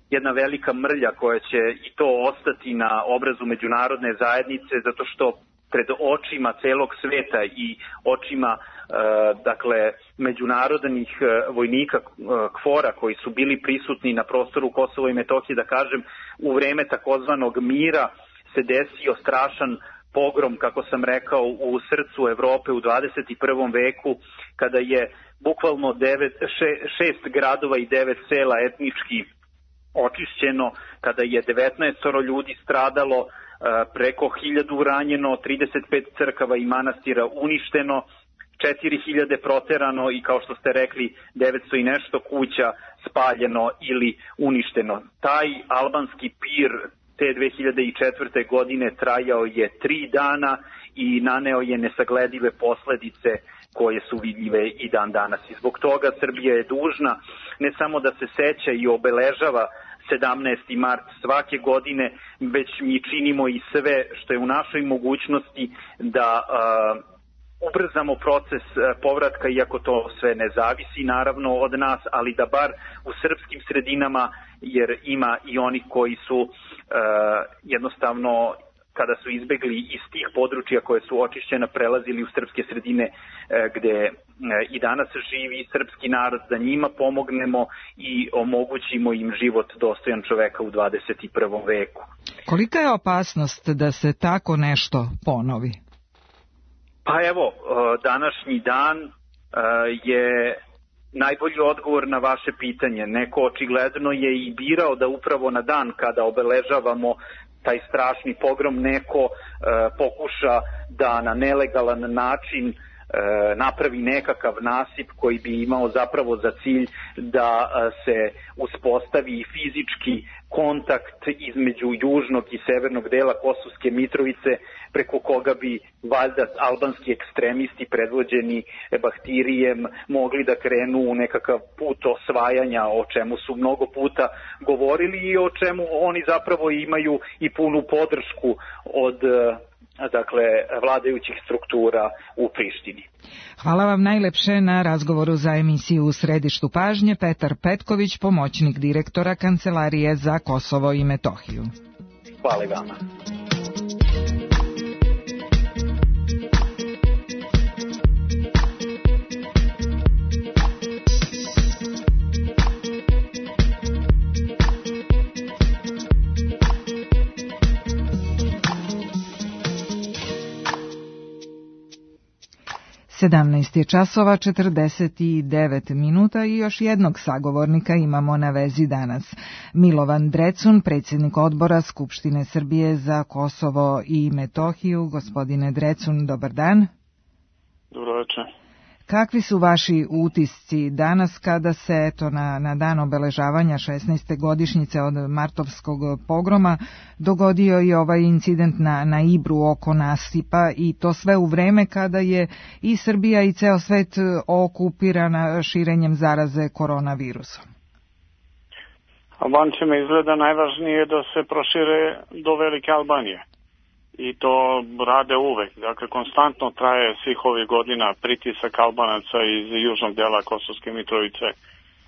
Speaker 5: jedna velika mrlja koja će i to ostati na obrazu međunarodne zajednice zato što pred očima celog sveta i očima dakle međunarodnih vojnika KFOR-a koji su bili prisutni na prostoru Kosova i Metohije, da kažem, u vreme takozvanog mira se desio strašan pogrom, kako sam rekao, u srcu Evrope u dvadeset prvom veku, kada je bukvalno devet, še, šest gradova i devet sela etnički očišćeno, kada je devetnaest ljudi stradalo, preko hiljadu ranjeno, trideset pet crkava i manastira uništeno, četiri hiljade proterano i, kao što ste rekli, devetsto i nešto kuća spaljeno ili uništeno. Taj albanski pir te dve hiljade četvrte. godine trajao je tri dana i naneo je nesagledive posledice koje su vidljive i dan danas. I zbog toga Srbija je dužna ne samo da se seća i obeležava sedamnaesti mart svake godine, već mi činimo i sve što je u našoj mogućnosti da uh, ubrzamo proces povratka, iako to sve ne zavisi naravno od nas, ali da bar u srpskim sredinama, jer ima i onih koji su uh, jednostavno kada su izbegli iz tih područja koje su očišćena prelazili u srpske sredine uh, gde uh, i danas živi srpski narod, da njima pomognemo i omogućimo im život dostojan čoveka u dvadeset prvom veku.
Speaker 24: Kolika je opasnost da se tako nešto ponovi?
Speaker 5: Pa evo, današnji dan je najbolji odgovor na vaše pitanje. Neko očigledno je i birao da upravo na dan kada obeležavamo taj strašni pogrom neko pokuša da na nelegalan način napravi nekakav nasip koji bi imao zapravo za cilj da se uspostavi fizički kontakt između južnog i severnog dela Kosovske Mitrovice, preko koga bi valjda albanski ekstremisti predvođeni Bahtirijem mogli da krenu u nekakav put osvajanja, o čemu su mnogo puta govorili i o čemu oni zapravo imaju i punu podršku od dakle vladajućih struktura u Prištini.
Speaker 24: Hvala vam najlepše na razgovoru za emisiju U središtu pažnje. Petar Petković, pomoćnik direktora Kancelarije za Kosovo i Metohiju.
Speaker 5: Hvala i vama.
Speaker 24: sedamnaest je časova četrdeset devet minuta i još jednog sagovornika imamo na vezi danas. Milovan Drecun, predsjednik odbora Skupštine Srbije za Kosovo i Metohiju. Gospodine Drecun, dobar dan.
Speaker 6: Dobro večer.
Speaker 24: Kakvi su vaši utisci danas kada se eto na, na dan obeležavanja šesnaeste godišnjice od martovskog pogroma dogodio i ovaj incident na, na Ibru oko nasipa i to sve u vreme kada je i Srbija i ceo svet okupirana širenjem zaraze koronavirusom?
Speaker 6: Albancima izgleda najvažnije da se prošire do Velike Albanije. I to rade uvek. Dakle, konstantno traje svih ovih godina pritisak Albanaca iz južnog dela Kosovske Mitrovice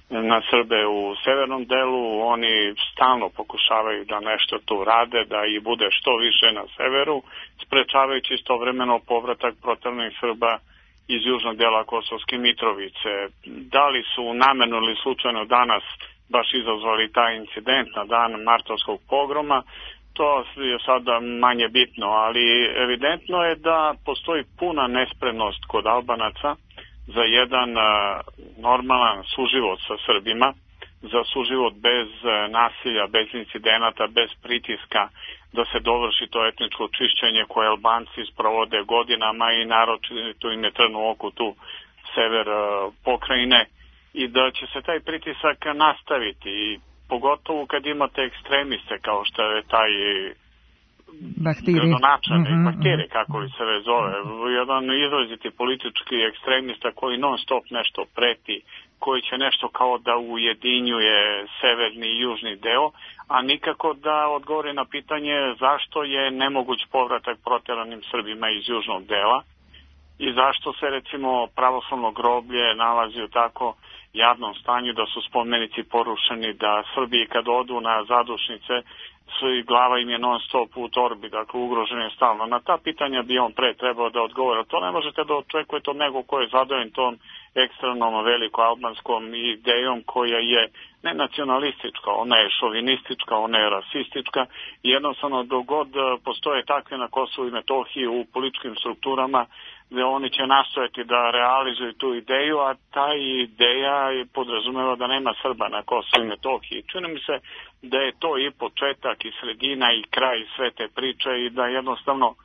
Speaker 6: na Srbe u severnom delu. Oni stalno pokušavaju da nešto tu rade, da ih bude što više na severu, sprečavajući istovremeno povratak proteranih Srba iz južnog dela Kosovske Mitrovice. Da li su namerno ili slučajno danas baš izazvali taj incident na dan martovskog pogroma, to je sada manje bitno, ali evidentno je da postoji puna nespremnost kod Albanaca za jedan normalan suživot sa Srbima, za suživot bez nasilja, bez incidenata, bez pritiska, da se dovrši to etničko čišćenje koje Albanci sprovode godinama i naročito im je trnu oku tu sever pokrajine i da će se taj pritisak nastaviti i pogotovo kad imate ekstremiste kao što je taj gradonačelnik, mm-hmm. Bahtiri, kako li se već zove, jedan izraziti politički ekstremista koji non stop nešto preti, koji će nešto kao da ujedinjuje severni i južni deo, a nikako da odgovori na pitanje zašto je nemoguć povratak proteranim Srbima iz južnog dela i zašto se recimo pravoslavno groblje nalazi u tako jadnom stanju da su spomenici porušeni, da Srbiji kad odu na zadušnice i glava im je non stop u torbi, dakle ugrožen je stalno. Na ta pitanja bi on pre trebao da odgovara. To ne možete da očekujete od nego ko je zadovoljen tom ekstremnom veliko-albanskom idejom koja je ne nacionalistička, ona je šovinistička, ona je rasistička i jednostavno dok god postoje takve na Kosovu i Metohiji u političkim strukturama gde oni će nastojati da realizuju tu ideju, a ta ideja podrazumeva da nema Srba na Kosovu i Metohiji. Čini mi se da je to i početak i sredina i kraj sve te priče i da jednostavno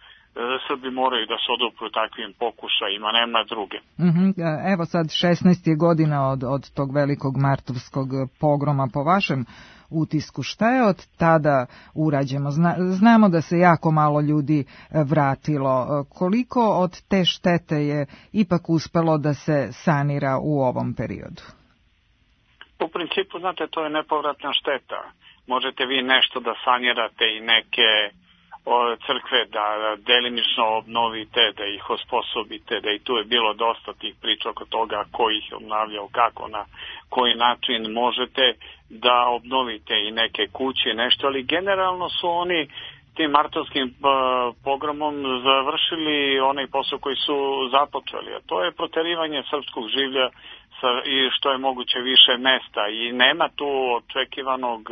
Speaker 6: Srbi moraju da se odupru takvim pokušajima, nema druge.
Speaker 24: Mm-hmm. Evo sad šesnaest je godina od, od tog velikog martovskog pogroma po vašem utisku. Šta je od tada urađeno? Zna, znamo da se jako malo ljudi vratilo. Koliko od te štete je ipak uspelo da se sanira u ovom periodu?
Speaker 6: U principu, znate, to je nepovratna šteta. Možete vi nešto da sanirate i neke crkve da delimično obnovite, da ih osposobite, da i tu je bilo dosta tih priča oko toga ko ih je obnavljao, kako, na koji način možete da obnovite i neke kuće, nešto, ali generalno su oni tim martovskim pogromom završili onaj posao koji su započeli, a to je proterivanje srpskog življa sa, i što je moguće više mesta i nema tu očekivanog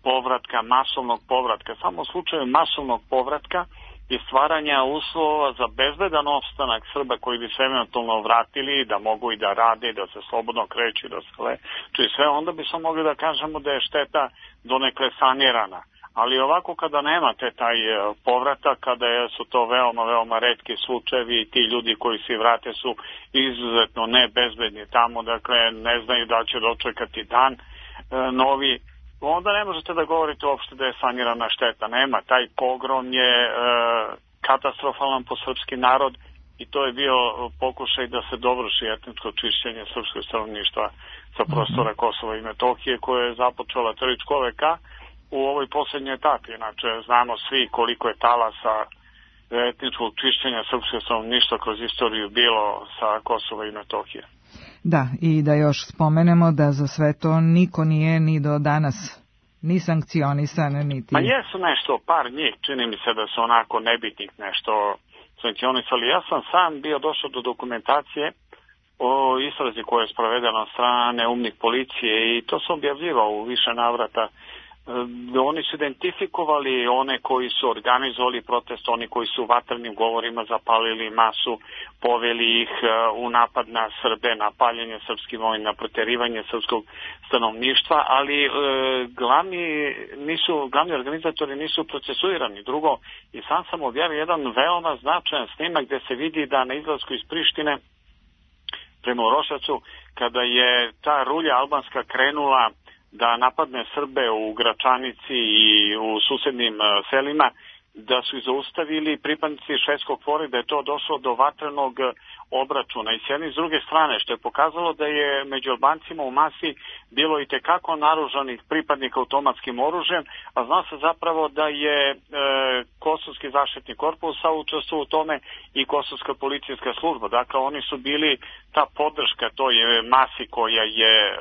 Speaker 6: povratka, masovnog povratka. Samo u slučaju masovnog povratka i stvaranja uslova za bezbedan opstanak Srba koji bi se eventualno vratili, da mogu i da rade, da se slobodno kreću, da se leče i sve, onda bi smo mogli da kažemo da je šteta donekle sanirana. Ali ovako kada nemate taj povratak, kada su to veoma, veoma retki slučajevi i ti ljudi koji se vrate su izuzetno nebezbedni tamo, dakle ne znaju da će dočekati dan e, novi, onda ne možete da govorite uopšte da je sanirana šteta. Nema, taj pogrom je e, katastrofalan po srpski narod i to je bio pokušaj da se dovrši etničko čišćenje srpskog stanovništva sa prostora Kosova i Metohije koje je započela Trličko veka u ovoj posljednjoj etapi. Znači, znamo svi koliko je talasa etničkog čišćenja srpskog stanovništva kroz istoriju bilo sa Kosova i Metohije.
Speaker 24: Da, i da još spomenemo da za sve to niko nije ni do danas ni sankcionisan, niti...
Speaker 6: Ma jesu nešto, par njih, čini mi se da su onako nebitnih nešto sankcionisali. Ja sam sam bio došao do dokumentacije o istrazi koja je sprovedena od strane umnih policije i to sam objavljivao u više navrata. Oni su identifikovali one koji su organizovali protest, oni koji su vatrenim govorima zapalili masu, poveli ih u napad na Srbe, na paljenje srpskih vojni, na proterivanje srpskog stanovništva, ali e, glavni, nisu, glavni organizatori nisu procesuirani. Drugo, i sam sam objavio jedan veoma značajan snimak gde se vidi da na izlasku iz Prištine prema Urošacu, kada je ta rulja albanska krenula da napadne Srbe u Gračanici i u susednim selima, da su ih zaustavili pripadnici švedskog fora, da je to došlo do vatrenog obračuna. I s jedne i s druge strane, što je pokazalo da je među Albancima u masi bilo i tekako naoružanih pripadnika automatskim oružjem, a zna se zapravo da je e, Kosovski zaštitni korpus učestvovao u tome i Kosovska policijska služba. Dakle, oni su bili ta podrška toj masi koja je e,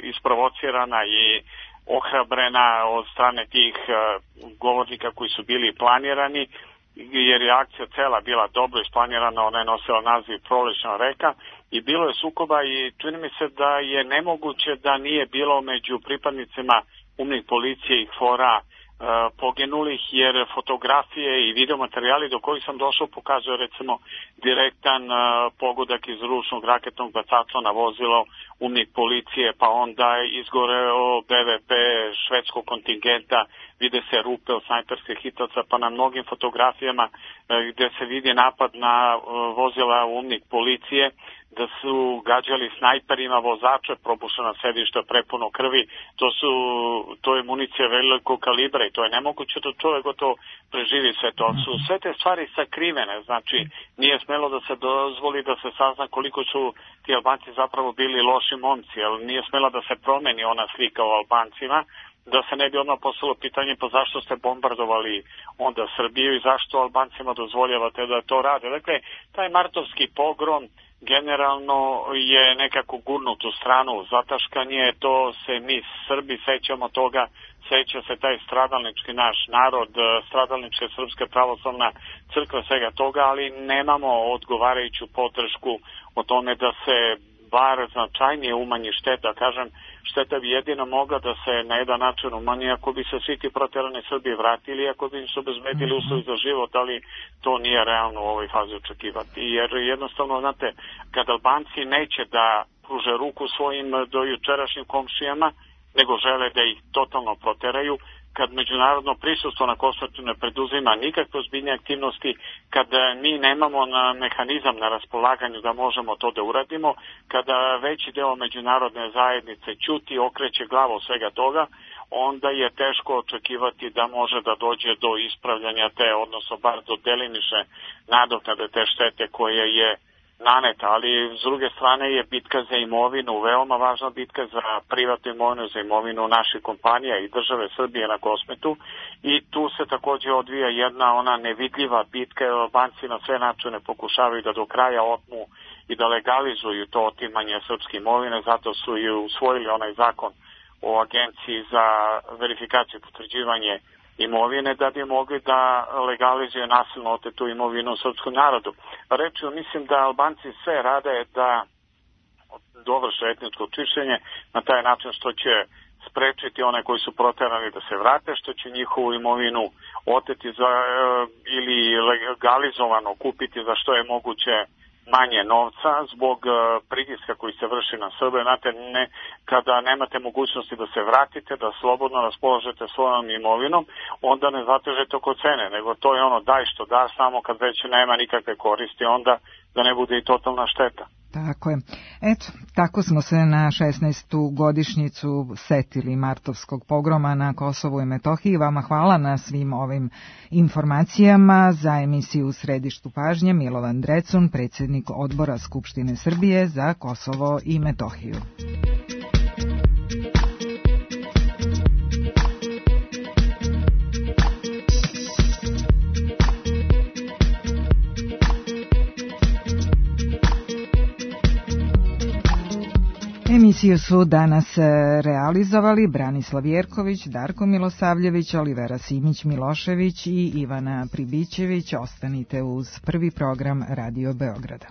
Speaker 6: isprovocirana i ohrabrena od strane tih uh, govornika koji su bili planirani, jer je akcija cela bila dobro isplanirana, ona je nosila naziv Prolećna reka i bilo je sukoba i čini mi se da je nemoguće da nije bilo među pripadnicima umnih policije i fora poginulih, jer fotografije i videomaterijali do kojih sam došao pokazuje recimo direktan pogodak iz ručnog raketnog bacača na vozilo umnik policije, pa onda izgoreo B V P švedskog kontingenta, vide se rupe od snajperskih hitaca, pa na mnogim fotografijama gde se vidi napad na vozila umnik policije, da su gađali snajperima vozače, probušena sedišta prepuno krvi, to su to je municija velikog kalibra i to je nemoguće da čovjek gotovo preživi sve to. Su sve te stvari sakrivene, znači nije smelo da se dozvoli da se sazna koliko su ti Albanci zapravo bili loši momci, ali nije smela da se promeni ona slika o Albancima, da se ne bi odmah postavilo pitanje pa zašto ste bombardovali onda Srbiju i zašto Albancima dozvoljavate da to rade. Dakle, taj martovski pogrom generalno je nekako gurnut u stranu, zataškanje, to se mi Srbi sećamo toga, seća se taj stradalnički naš narod, stradalnička Srpska pravoslavna crkva, svega toga, ali nemamo odgovarajuću podršku o tome da se bar značajnije umanji šteta. Kažem, šteta bi jedino mogla da se na jedan način umanji ako bi se svi ti proterani Srbi vratili, ako bi im se obezbedili uslovi za život, ali to nije realno u ovoj fazi očekivati. Jer jednostavno, znate, kad Albanci neće da pruže ruku svojim dojučerašnjim komšijama, nego žele da ih totalno proteraju, kad međunarodno prisustvo na Kosovu ne preduzima nikakve ozbiljne aktivnosti, kad mi nemamo na mehanizam na raspolaganju da možemo to da uradimo, kada veći deo međunarodne zajednice ćuti, okreće glavu svega toga, onda je teško očekivati da može da dođe do ispravljanja te, odnosno bar do delimične nadoknade te štete koje je naneta, ali s druge strane je bitka za imovinu, veoma važna bitka za privatnu imovinu, za imovinu naših kompanija i države Srbije na Kosmetu i tu se također odvija jedna ona nevidljiva bitka, jer Albanci na sve načine pokušavaju da do kraja otmu i da legalizuju to otimanje srpske imovine, zato su i usvojili onaj zakon o agenciji za verifikaciju i potvrđivanje imovine da bi mogli da legalizuju nasilno otetu imovinu u srpskom narodu. Rečio, mislim da Albanci sve rade da dovrše etničko čišćenje na taj način što će sprečiti one koji su proterani da se vrate, što će njihovu imovinu oteti za, ili legalizovano kupiti za što je moguće manje novca zbog pritiska koji se vrši na Srbe. Znate, ne, kada nemate mogućnosti da se vratite, da slobodno raspoložete svojom imovinom, onda ne zatežete oko cene, nego to je ono daj što da, samo kad već nema nikakve koristi, onda da ne bude i totalna šteta.
Speaker 24: Tako je. Eto, tako smo se na šesnaestu godišnjicu setili martovskog pogroma na Kosovu i Metohiji. Vama hvala na svim ovim informacijama. Za emisiju U središtu pažnje Milovan Drecun, predsjednik Odbora Skupštine Srbije za Kosovo i Metohiju. Emisiju su danas realizovali Branislav Jerković, Darko Milosavljević, Olivera Simić-Milošević i Ivana Pribićević. Ostanite uz prvi program Radio Beograda.